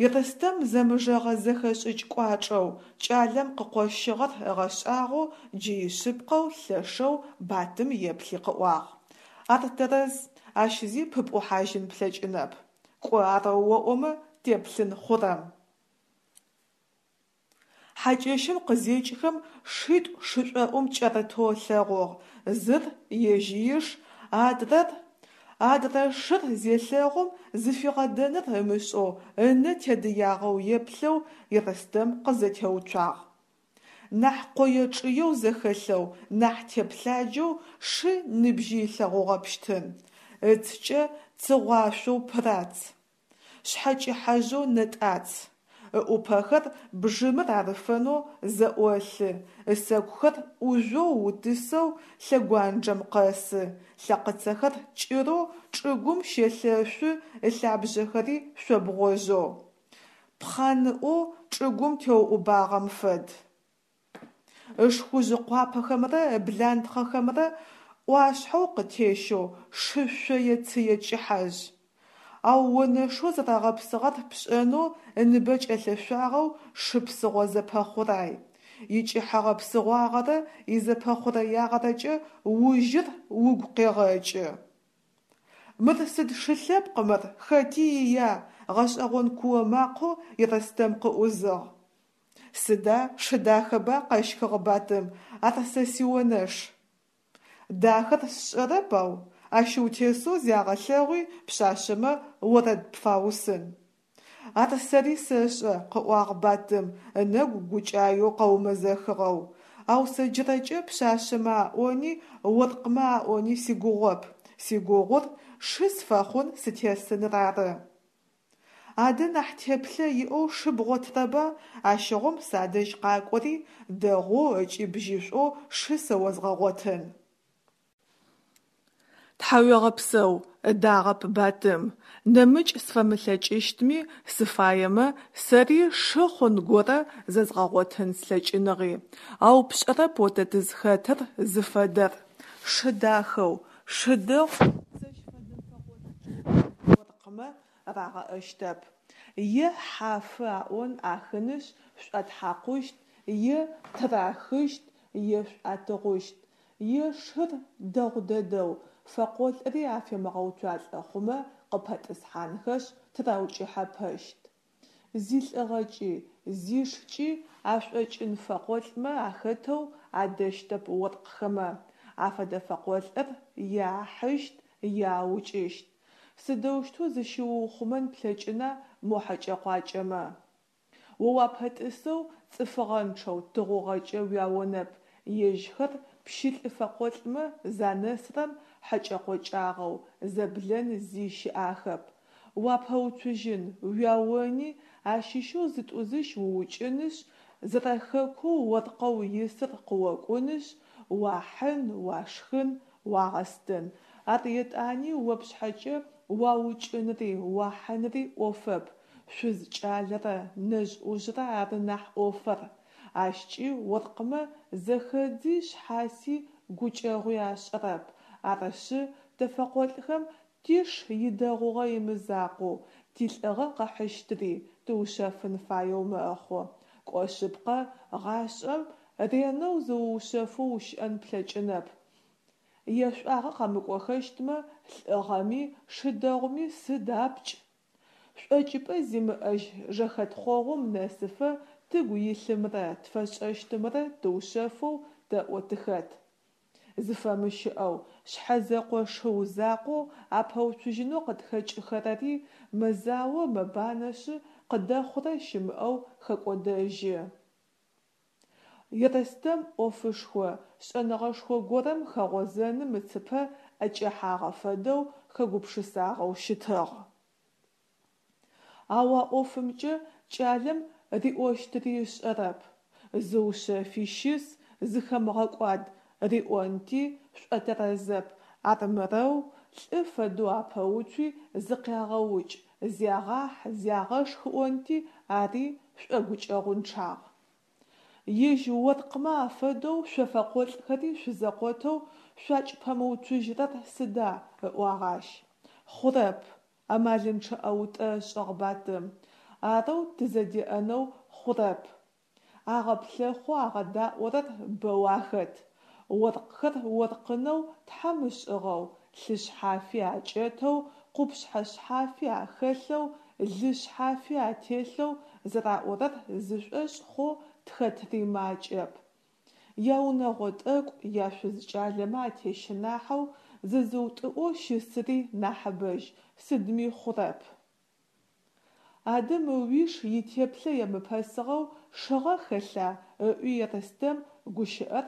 Ерстэм зэмыжэгъэ зэхэшӏыкӏ кӏуачӏэу кӏалэм къыкъощыгъэр ыгъэшӏагъоу джы ишъыпкъэу лъэшэу Батым еплъи къыӏуагъ. Ар тэрэз, ащ зи пыпӏухьажьын плъэкӏынэп. Кӏо арэу оӏомэ, теплъын хъурэм. Хьакӏэщым къызекӏхэм шитӏу шышӏоӏум кӏэрытэу ылъэгъугъ, зыр ежь иш, адрэр адрэ шыр зелъэгъум зыфигъэдэныр ымышӏэу ынэ тедыягъэу еплъэу Ерстэм къызэтеуцуагъ. Нахь къое-чъыеу зэхэлъэу, нахь теплъаджэу шы ныбжьи ылъэгъугъэпщтын. Ыцкӏэ цыгъуашъоу пырац. Шъхьэкӏыхьэжъэу нэтӏац. Ыӏупэхэр бжьымыр арыфэнэу зэӏолъы, ысэкухэр ӏужъоу утысэу лъэгуанджэм къэсы, лъэкъыцэхэр кӏырэу чӏыгум щелъэшъу, ылъабжъэхэри шъобгъожьэу, пхъаныӏоу чӏыгум теуӏубагъэм фэд. Ышхужъ къуапэхэмрэ ыблантхъэхэмрэ ӏуашъхьэу къытещэу шы шъое-цые кӏыхьэжъ. Ау онэшэу зэрэгъэпсыгъэр пшӏэнэу ыныбэ кӏэлъэшъуагъэу шы псыгъо зэпэхъурай. Икӏыхьэгъэ-псыгъуагъэрэ изэпэхъурэягъэрэкӏэ ужьыр угу къегъэкӏы. Мыр сыд шы лъэпкъ мыр, хэти ия? Гъэшӏэгъон куо макъэу Ерстэм къыӏузыгъ. Сыда, шы дахэба, къэщхыгъ Батым, ар сэ сионэш. Дахэр сшӏэрэп, ау ащ утесэу зягъэлъэгъуи пшъашъэмэ орэд пфаусын. Ар сэри сэшӏэ, къыӏуагъ Батым, ынэгу гукӏаеу къэумэзэхыгъэу. Ау сэ джырэкӏэ пшъашъэмэ аӏони, оркъмэ аӏони сигугъоп. Сигугъур шы сфэхъун сытесыныр ары. Адэ нахь теплъэ иӏэу шы бгъотырэба, ащыгъум садэжь къакӏори, дэгъоу ыкӏи бжьышӏоу шы сэ озгъэгъотын. Тхьауегъэпсэу, ыдагъэп Батым, нэмыкӏ сфэмылъэкӏыщтми, сыфаемэ, сэри шы хъун горэ зэзгъэгъотын слъэкӏыныгъи. Ау пшӏэрэп о тэ тызхэтыр зыфэдэр. Шы дахэу, шы дэгъу сэщ фэдэ фэкъолӏ кӏэлэ оркъмэ рагъэӏэщтэп. Е хьафы аӏон ахынышъ шӏуатхьакъущт, е тырахыщт, е шӏуатыгъущт. Е шыр дэгъу дэдэу, фэкъолӏри афемыгъэуцуалӏэ хъумэ къыпэтӏысхьанхэшъ тыраукӏыхьэпэщт. Зилӏыгъэкӏи, зишкӏи ашӏокӏын фэкъолӏмэ ахэтэу адэщтэп оркъхэмэ. Афэдэ фэкъолӏыр е ахьыщт, е аукӏыщт. Сыдэущтэу зыщыуухъумэн плъэкӏына мо хьэкӏэ-къуакӏэмэ? О уапэтӏысэу цӏыфыгъэнчъэу тыгъугъэкӏэ уяонэп, ежьхэр пщылӏ-фэкъолӏмэ занэсрэм хьэкӏэ-къокӏагъэу, зэблэн зи щыӏахэп. Уапэуцужьын, уяони, ащыщэу зытӏузыщ уукӏынышъ, зэрэхэкоу оркъэу исыр къыокӏунышъ, уахьын, уашхын, уагъэстын. Ар етӏани о пшъхьэкӏэ уаукӏынри, уахьынри ӏофэп, шъуз-кӏалэрэ нэжъ-ӏужърэ ары нахь ӏофэр. Ащкӏи оркъмэ зэхэдзи шъхьаси гукӏэгъуи ашӏэрэп. Арышъы, тэ фэкъолӏхэм тиш идэгъугъэ имызакъоу, тилӏыгъэ къыхьыщтри тыушъэфын фаеу мэхъу. Кӏо шъыпкъэ, гъашӏэм ренэу зыуушъэфэу ущыӏэн плъэкӏынэп. Ешӏуагъэ къэмыкӏохэщтмэ, лӏыгъэми, шы дэгъуми сыд апкӏ? Шӏокӏыпӏэ зимыӏэжь жэхэтхъогъум нэсыфэ тыгу илъымрэ тфэшӏэщтымрэ тыушъэфэу тэӏо тыхэт. Зыфэмыщыӏэу, шъхьэзэкъо шыу закъоу апэуцужьынэу къытхэкӏыхэрэри мэзао мэбанэшъы, къыдэхъурэ щымыӏэу хэкӏодэжьы. Ерстэм ӏофышхо, шӏэныгъэшхо горэм хэгъозэным ыцыпэ ӏэкӏэхьагъэ фэдэу хэгупшысагъэу щытыгъ. Ау а ӏофымкӏэ кӏалэм риӏощтыри ышӏэрэп. Зыушъэфи щыс, зыхэмыгъэкӏуад риӏонти, шӏотэрэзэп, армырэу лӏы фэдэу апэуцуи зыкъягъэукӏ, зягъахь, зягъэшх ыӏонти, ари шӏогукӏэгъунчъагъ. Ежь оркъмэ афэдэу шъо фэкъолӏхэри шъузэкъотэу шъуакӏпэмыуцужьрэр сыда? ыӏуагъ ащ. Хъурэп, амалынчъэ ӏэутӏэ ышӏыгъ Батым. Арэу тызэдеӏэнэу хъурэп. Агъэплъэхъу агъэдаӏорэр бэу ахэт. Оркъхэр оркъынэу Тхьэм ышӏыгъэу, лъы шъхьафи акӏэтэу, къупшъхьэ шъхьафи ахэлъэу, лы шъхьафи ателъэу зэраӏорэр зышӏошъ хъоу тхэтри макӏэп. Яунэгъо тӏэкӏу, яшъуз-кӏалэмэ атещынахьэу, зызыутӏыӏоу щысри нахьыбэжь, сыдми хъурэп. Адэ мы уиш итеплъэ емыпэсыгъэу шыгъэ хэлъа? ыӏуи Ерстэм гущыӏэр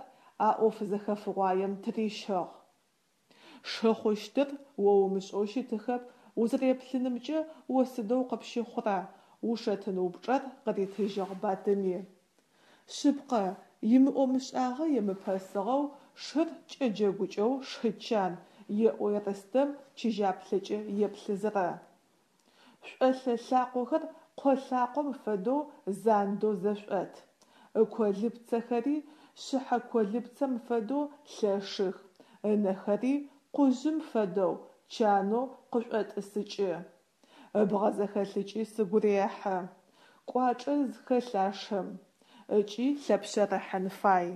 а ӏоф зэхэфыгъуаем тырищыгъ. Шы хъущтыр о умышӏэу щытыхэп, узэреплъынымкӏэ о сыдэу къыпщыхъура? Ушэтын упчӏэр къыритыжьыгъ Батыми. Шъыпкъэ, имыӏо-мышӏагъэ емыпэсыгъэу шыр кӏэджэгукӏэу шы чан, еӏо Ерстэм чыжьаплъэкӏэ еплъызэрэ. Шӏолъэ лъакъохэр къо лъакъом фэдэу зандэу зэшӏот. Ыколыпцэхэри шъыхьэ колыпцэм фэдэу лъэшых, ынэхэри къужъым фэдэу чанэу къышӏотӏысыкӏы. Ыбгъэ зэхэлъыкӏи сыгу рехьы. Кӏуачӏэ хэлъ а шым. Ыкӏи лъэпшъэрыхьын фай.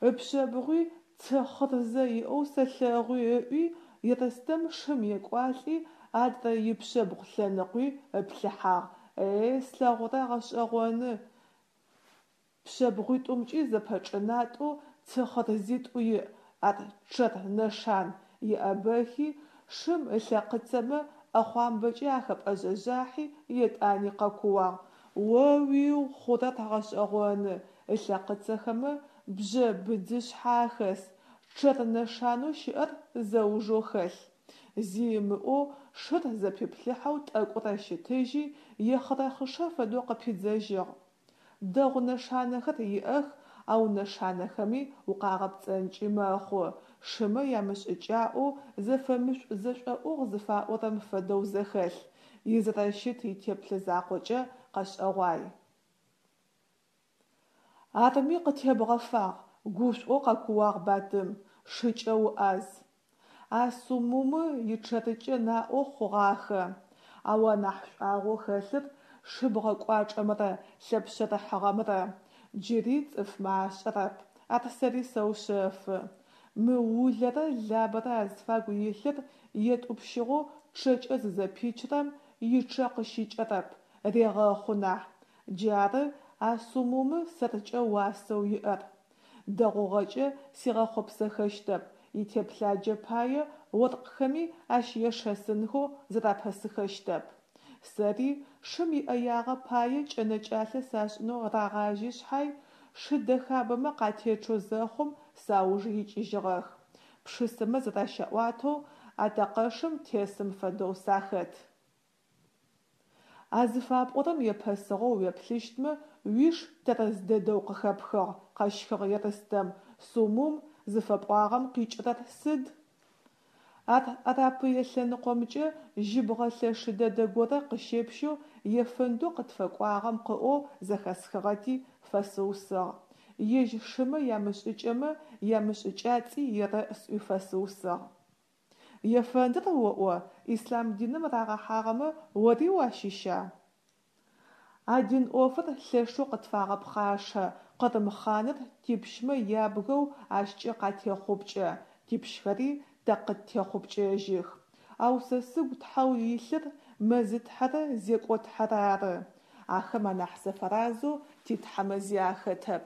Ыпшъэбгъуи цы хъырзэ иӏэу сэлъэгъуи ыӏуи, Ерстэм шым екӏуалӏи, адрэ ипшъэбгъу лъэныкъуи ыплъыхьагъ: Е, слъэгъурэр гъэшӏэгъоны, пшъэбгъуитӏумкӏи зэпэчӏынатӏэу цы хъырзитӏу иӏ, ар чъэр нэшан, еӏэбэхи, шым ылъэкъыцэмэ ӏэхъуамбэкӏэ ахэпӏэжъэжъахьи, етӏани къэкууагъ: О-уиу, хъурэр гъэшӏэгъоны, ылъэкъыцэхэмэ бжьэ быдзышъхьэ ахэс, чъэр нэшанэу щыӏэр зэужэу хэлъ. Зи ымыӏоу шыр зэпиплъыхьэу тӏэкӏурэ щытыжьи, ехъырэхъышэ фэдэу къыпидзэжьыгъ. Дэгъу нэшанэхэр иӏэх, ау нэшанэхэми укъагъэпцӏэнкӏи мэхъу, шымэ ямышӏыкӏаӏоу зэфэмышӏу-зэшӏоӏугъ зыфаӏорэм фэдэу зэхэлъ, изэрэщыт итеплъэ закъокӏэ къэшӏэгъуай. Арми къытебгъэфагъ, гушӏоу къэкууагъ Батым, шыкӏэ уӏаз. А Сумумы ичъэрыкӏэ наӏо хъугъахэ. Ау анахь шӏуагъэу хэлъыр шыбгъэ кӏуачӏэмрэ лъэпшъэрыхьыгъэмрэ. Джыри цӏыфмэ ашӏэрэп. Ар сэри сэушъэфы. Мы Улэрэ Лабэрэ азфагу илъыр етӏупщыгъэу чъэкӏэ зызэпичрэм ичъэ къыщыкӏэрэп, регъэхъу нахь. Джары а Сумумы сэркӏэ уасэу иӏэр. Дэгъугъэкӏэ сигъэхъопсэхэщтэп, итеплъаджэ пае оркъхэми ащ ешэсынхэу зырапэсыхэщтэп. Сэри шым иӏэягъэ пае кӏэнэкӏалъэ сашӏынэу рагъажьи шъхьай, шы дэхабэмэ къатечъэу зэхъум сауж икӏыжьыгъэх. Пшысэмэ зэращаӏуатэу атэкъэшым тесым фэдэу сахэт. А зыфапӏорэм епэсыгъэу уеплъыщтмэ, уиш тэрэз дэдэу къыхэпхыгъ, къэщхыгъ Ерстэм, Сумум зыфэпӏуагъэм къикӏырэр сыд? Ар Арапые лъэныкъомкӏэ жьыбгъэ лъэшы дэдэ горэ къыщепщэу ефэндэу къытфэкӏуагъэм къыӏоу зэхэсхыгъэти, фэсыусыгъ. Ежь шымэ ямышӏыкӏэмэ ямышӏыкӏацӏи ерэӏ сӏуи фэсыусыгъ. Ефэндыр оӏо, ислъам диным рагъэхьагъэмэ ори уащыща? А дин ӏофыр лъэшэу къытфагъэпхъашэ, Къырым хъаныр типщмэ ябгэу ащкӏэ къатехъупкӏэ, типщхэри тэ къыттехъупкӏэжьых. Ау сэ сыгу тхьэу илъыр Мэзытхьэрэ Зекӏотхьэрэ ары. Ахэм анахь сафэразэу титхьэмэ зи ахэтэп.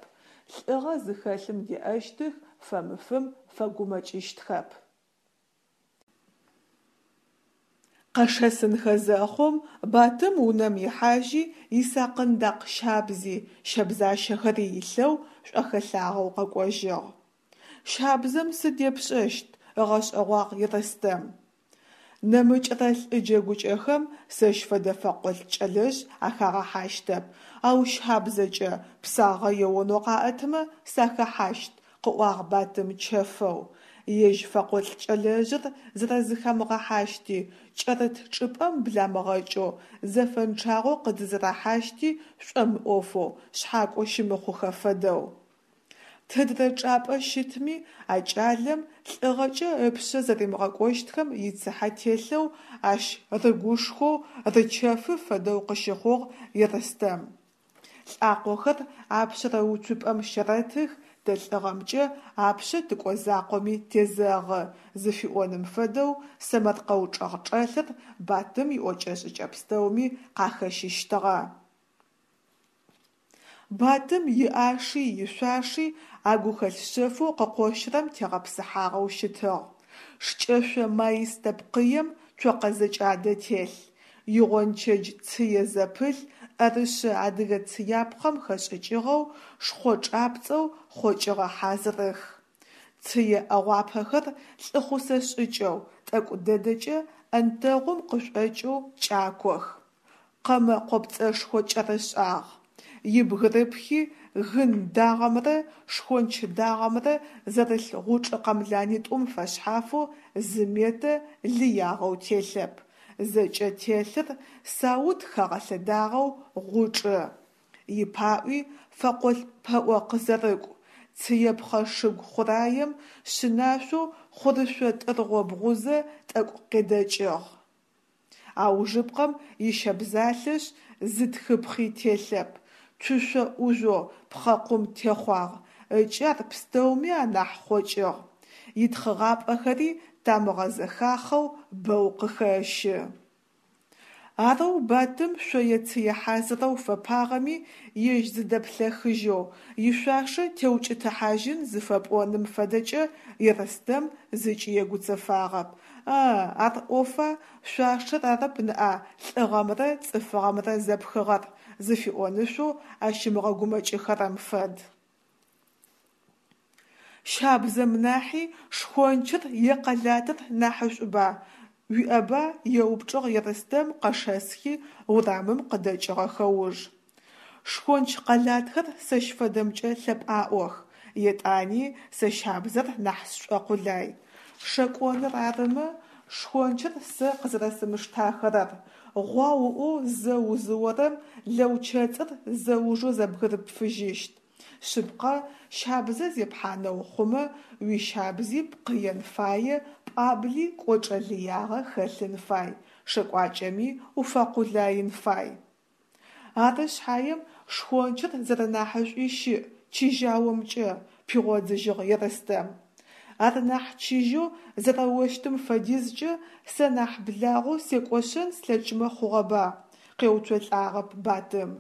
Лӏыгъэ зыхэлъым деӏэщтых, фэмыфым фэгумэкӏыщтхэп. Къэшэсынхэ зэхъум, Батым унэм ихьажьи, исакъындакъ щабзи, щэбзащэхэри илъэу, шӏохэлъагъэу къэкӏожьыгъ. Щабзэм сыд епшӏэщт? ыгъэшӏэгъуагъ Ерстэм. Нэмыкӏрэ лӏы джэгукӏэхэм сэщ фэдэ фэкъолӏ кӏэлэжъ ахагъэхьащтэп, ау щабзэкӏэ псагъэ еонэу къаӏэтмэ, сахэхьащт, къыӏуагъ Батым чэфэу. Ежь фэкъолӏ кӏэлэжъыр зэрэзыхамыгъэхьащти, кӏэрыт чӏыпӏэм бламыгъэкӏэу, зэфэнчъагъэу къыдызэрахьащти шӏомыӏофэу, шъхьакӏо щымыхъухэ фэдэу. Тыдрэ чӏапӏэ щытми, а кӏалэм лӏыгъэкӏэ ыпшъэ зэримыгъэкӏощтхэм ицыхьэ телъэу, ащ рыгушхоу, рычэфы фэдэу къыщыхъугъ Ерстэм. Лӏакъохэр апшъэрэ уцупӏэм щэрэтых, тэ лӏыгъэмкӏэ апшъэ тыкӏо закъоми тезэгъы, зыфиӏоным фэдэу сэмэркъэу чӏэгъчӏэлъыр Батым иӏокӏэ-шӏыкӏэ пстэуми къахэщыщтыгъэ. Батым иӏаши ишъуаши а гухэлъ шъэфэу къыкъощырэм тегъэпсыхьагъэу щытыгъ. Шкӏэшъо маистэ пкъыем цокъэ зэкӏадэ телъ. Игъончэдж цые зэпылъ ӏэрышъэ адыгэ цыяпхъэм хэшӏыкӏыгъэу шхъо чӏапцӏэу хъокӏыгъэ хьазырых. Цые ӏэгъуапэхэр лӏыхъусэ шӏыкӏэу, тӏэкӏу дэдэкӏэ ӏэнтэгъум къышӏокӏэу кӏакох. къэмэ къопцӏэшхо кӏэрышӏагъ. Ибгырыпхи гын дагъэмрэ шхонч дагъэмрэ зэрылъ гъучӏ къэмланитӏум фэшъхьафэу зы метэ лыягъэу телъэп, зэкӏэ телъыр саут хэгъэлъэдагъэу гъучӏы. Ипаӏуи фэкъолӏ пэӏо къызэрыкӏу, цыепхъэ шыгу хъураем шъынашъоу хъурышъо тӏыргъо бгъузэ тӏэкӏу къедэкӏыгъ. Аужыпкъэм ищэбзалъэшъ зы тхыпхъи телъэп, цушъо ӏужъоу пхъэкъум техъуагъ ыкӏи ар пстэуми анахь хъокӏыгъ, итхъыгъапӏэхэри тамыгъэ зэхахъэу бэу къыхэщы. Арэу Батым шъое-цые хьазырэу фэпагъэми, ежь зыдэплъэхыжьэу, ишъуашэ теукӏытыхьажьын зыфэпӏоным фэдэкӏэ Ерстэм зыкӏи егуцэфагъэп: «Ы-ы, ар ӏофа, шъуашэр арэп ныӏа лӏыгъэмрэ цӏыфыгъэмрэ зэпхыгъэр» зыфиӏонышъоу ащ ымыгъэгумэкӏыхэрэм фэд. Щабзэм нахьи шхончыр е къэлатыр нахьышӏуба, уиӏэба? – еупчӏыгъ Ерстэм къэшэсхи урамым къыдэкӏыгъэхэ уж. Шхонч къэлатхэр сэщ фэдэмкӏэ лъэпӏаӏох, етӏани сэ щабзэр нахь сшӏокъулай. Шэкӏоныр арымэ, шхончыр сэ къызэрэсымыштахэрэр, гъуау ыӏоу зэ узыорэм лэучэцӏыр зэужэу зэбгырыпфыжьыщт. Шъыпкъэ, щабзэ зепхьанэу хъумэ, уищабзи пкъыен фае, пӏуабли кӏочӏэ лыягъэ хэлъын фай, шэкӏуакӏэми уфэкъулаин фай. Ары шъхьаем шхончыр зэрэнахьышӏуи щыӏ чыжьаомкӏэ, пигъодзыжьыгъ Ерстэм. Ар нахь чыжьэу зэрэощтым фэдизкӏэ сэ нахь благъэу секӏошъэн слъэкӏмэ хъугъэба, къеуцолӏагъэп Батым.